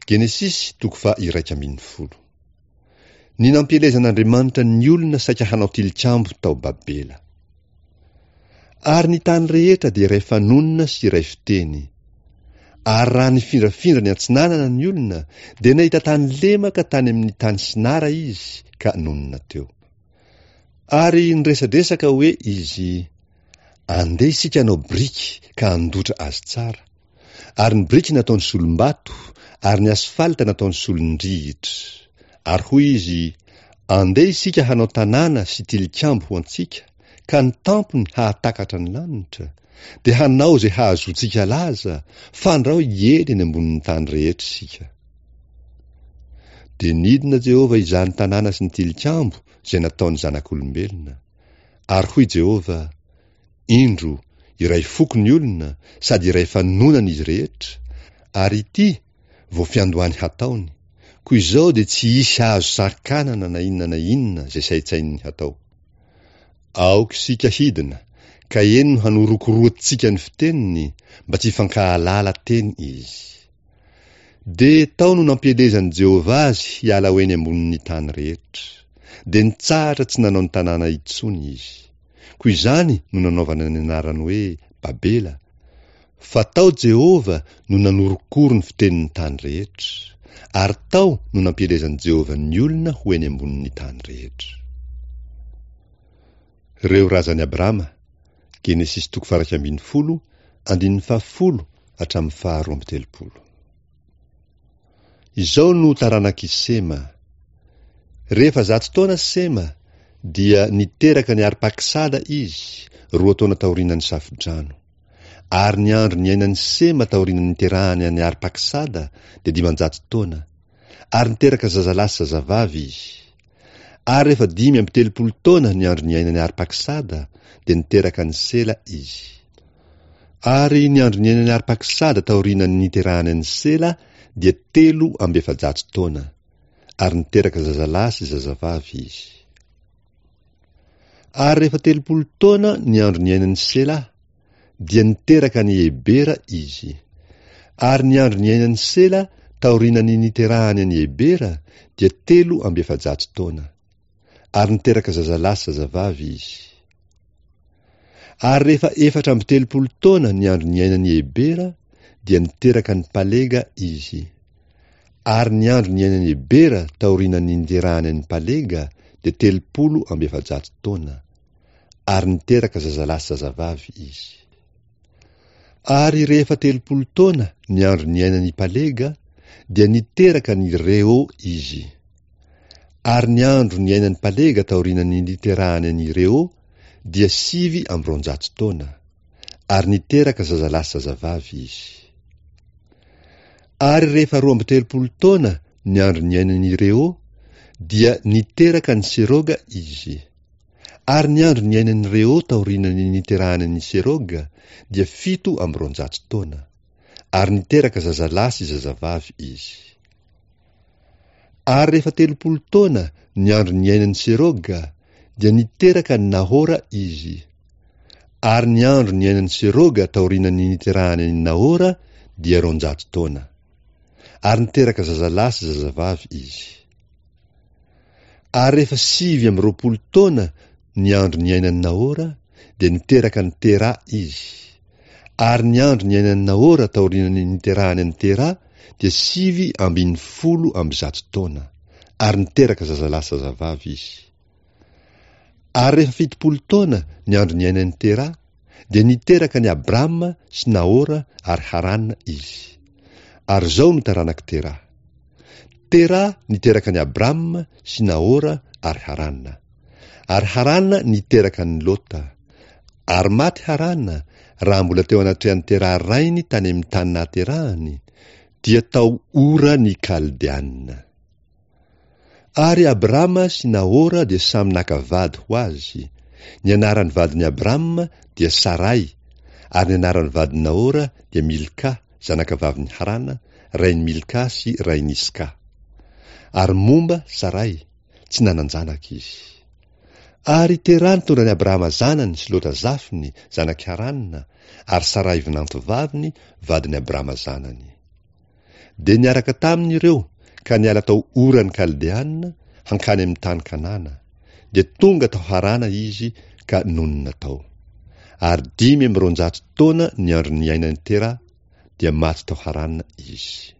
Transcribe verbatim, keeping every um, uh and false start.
Genesisy toko faha-iraika ambin'ny folo. Ny nampielezan'Andriamanitra ny olona saika hanao tilikambo tao Babela. Ary ny tany rehetra dia iray fanonona sy iray fiteny. Ary raha nifindrafindra ny atsinanana ny olona, dia nahita tany lemaka tany amin'ny tany Sinara izy ka nonina teo. Ary niresadresaka hoe izy, Andeha isika hanao biriky ka handotra azy tsara. Ary ny biriky nataony solom-bato, ary ny asfalta nataony solon-drihitra. Ary hoy izy, Andeha isika hanao tanàna sy tilikambo ho antsika, ka ny tampony hahatakatra ny lanitra, dia hanao izay hahazoantsika laza, fandrao hiely eny ambonin'ny tany rehetra isika. Dia nidina Jehovah hizaha ny tanàna sy ny tilikambo izay nataon'ny zanak'olombelona. Ary hoy Jehovah, Indro, iray foko ny olona, sady iray fanonana izy rehetra, ary ity, vao fiandohany hataony, koa izao dia tsy hisy hahazo sakanana na inona na inona izay saintsaininy hatao. Aoka isika hidina, ka eny no hanorokoroantsika ny fiteniny, mba tsy hifankahalala teny izy. Dia tao no nampielezan'i Jehovah azy hiala ho eny ambonin'ny tany rehetra. Dia nitsahatra tsy nanao ny tanàna intsony izy. Koa izany no nanaovana ny anarany hoe Babela, fa tao Jehovah no nanorokoro ny fitenin'ny tany rehetra, ary tao no nampielezan'i Jehovah ny olona ho eny ambonin'ny tany rehetra. Ireo razan'i Abrama, Genesisy toko faha-iraika ambin'ny folo, andininy fahafolo hatramin'ny faharoa amby telopolo. Izao no taranak'i Sema. Rehefa zato taona Sema, dia niteraka an'i Arpaksada izy, roa taona taorian'ny Safodrano. Ary ny andro niainan'i Sema taorian'ny niterahany an'i Arpaksada dia dimanjato taona, ary niteraka zazalahy sy zazavavy izy. Ary rehefa dimy amby telopolo taona ny andro niainan'i Arpaksada, dia niteraka an'i Sela izy. Ary ny andro niainan'i Arpaksada taorian'ny niterahany an'i Sela dia telo amby efajato taona, ary niteraka zazalahy sy zazavavy izy. Ary rehefa telopolo taona ny andro niainan'i Sela, dia niteraka an'i Ebera izy. Ary ny andro niainan'i Sela taorian'ny niterahany an'i Ebera dia telo amby efajato taona. Ary niteraka zazalahy sy zazavavy izy. Ary rehefa efatra amby telopolo taona ny andro niainan'i Ebera, dia niteraka an'i Palega izy. Ary ny andro niainan'i Ebera taorian'ny niterahany an'i Palega dia telopolo amby efajato taona. Ary niteraka zazalahy sy zazavavy izy. Ary rehefa telopolo taona ny andro niainan'i Palega, dia niteraka an'i Reo izy. Ary ny andro niainan'i Palega taorian'ny niterahany an'i Reo dia sivy amby roanjato taona. Ary niteraka zazalahy sy zazavavy izy. Ary rehefa roa amby telopolo taona ny andro niainan'i Reo, dia niteraka an'i Seroga izy. Ary ny andro niainan'i Reo taorian'ny niterahany an'i Seroga dia fito amby roanjato taona. Ary niteraka zazalahy sy zazavavy izy. Ary rehefa telopolo taona ny andro niainan'i Seroga, dia niteraka an'i Nahora izy. Ary ny andro niainan'i Seroga taorian'ny niterahany an'i Nahora dia roanjato taona. Ary niteraka zazalahy sy zazavavy izy. Ary rehefa sivy amby roapolo taona ny andro niainan'i Nahora, dia niteraka an'i Tera izy. Ary ny andro niainan'i Nahora taorian'ny niterahany an'i Tera dia sivy ambin'ny folo amby zato taona, ary niteraka zazalahy sy zazavavy izy. Ary rehefa fitopolo taona ny andro niainan'i Tera, dia niteraka an'i Abrama sy Nahora ary Harana izy. Ary izao no taranak'i Tera. Tera niteraka an'i Abrama sy Nahora ary Harana. Ary Harana niteraka an'i Lota. Ary maty Harana raha mbola teo anatrehan'i Tera rainy tany amin'ny tany nahaterahany, dia tao Ora ny Kaldeana. Ary Abrama sy Nahora dia samy naka vady ho azy. Ny anaran'ny vadin'i Abrama dia Saray, ary ny anaran'ny vadin'i Nahora dia Milka, zanakavavin'i Harana, rain'i Milka sy rain'i Iska. Ary momba Saray, tsy nanan-janaka izy. Ary Tera nitondra an'i Abrahama zanany sy Lota zafiny, zanak'i Harana, ary Saray vinantovaviny, vadin'i Abrama zanany. Dia niaraka taminy ireo ka niala tao Oran'ny Kaldeana hankany amin'ny tany Kanana. Dia tonga tao Harana izy ka nonina tao. Ary dimy amby roanjato taona ny andro niainan'i Tera, dia maty tao Harana izy.